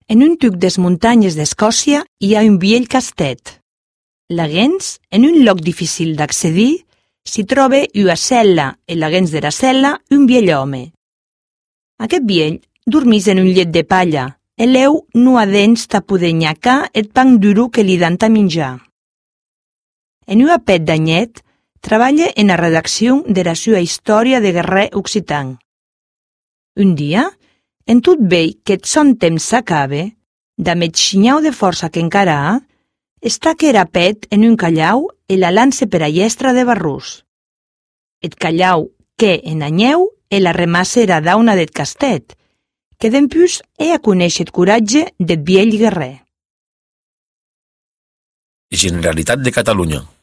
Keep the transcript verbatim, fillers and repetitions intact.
En un tuc des muntanyes d'Escòcia hi ha un viell castet. Laguens, en un lloc difícil d'accedir, s'hi troba ua cel·la e laguens dera cel·la un viell home. Aquest viell dormís en un llet de palla e leu no ha dents ta poder nyacar eth pan duro que li dan ta minjar. En ua pet d'anyet, treballa en la redacció dera sua història de guerrer occitan. Un dia, en tot vei qu'eth son temps s'acabe, damb xinhau de força qu'encara ha, està que era pet en un callau e la lance per a llestra de barrús. Eth callau que en anyeu e la remassera dauna d'eth castet, que dempús he a conèixer eth coratge d'eth viell guerrer. Generalitat de Catalunya.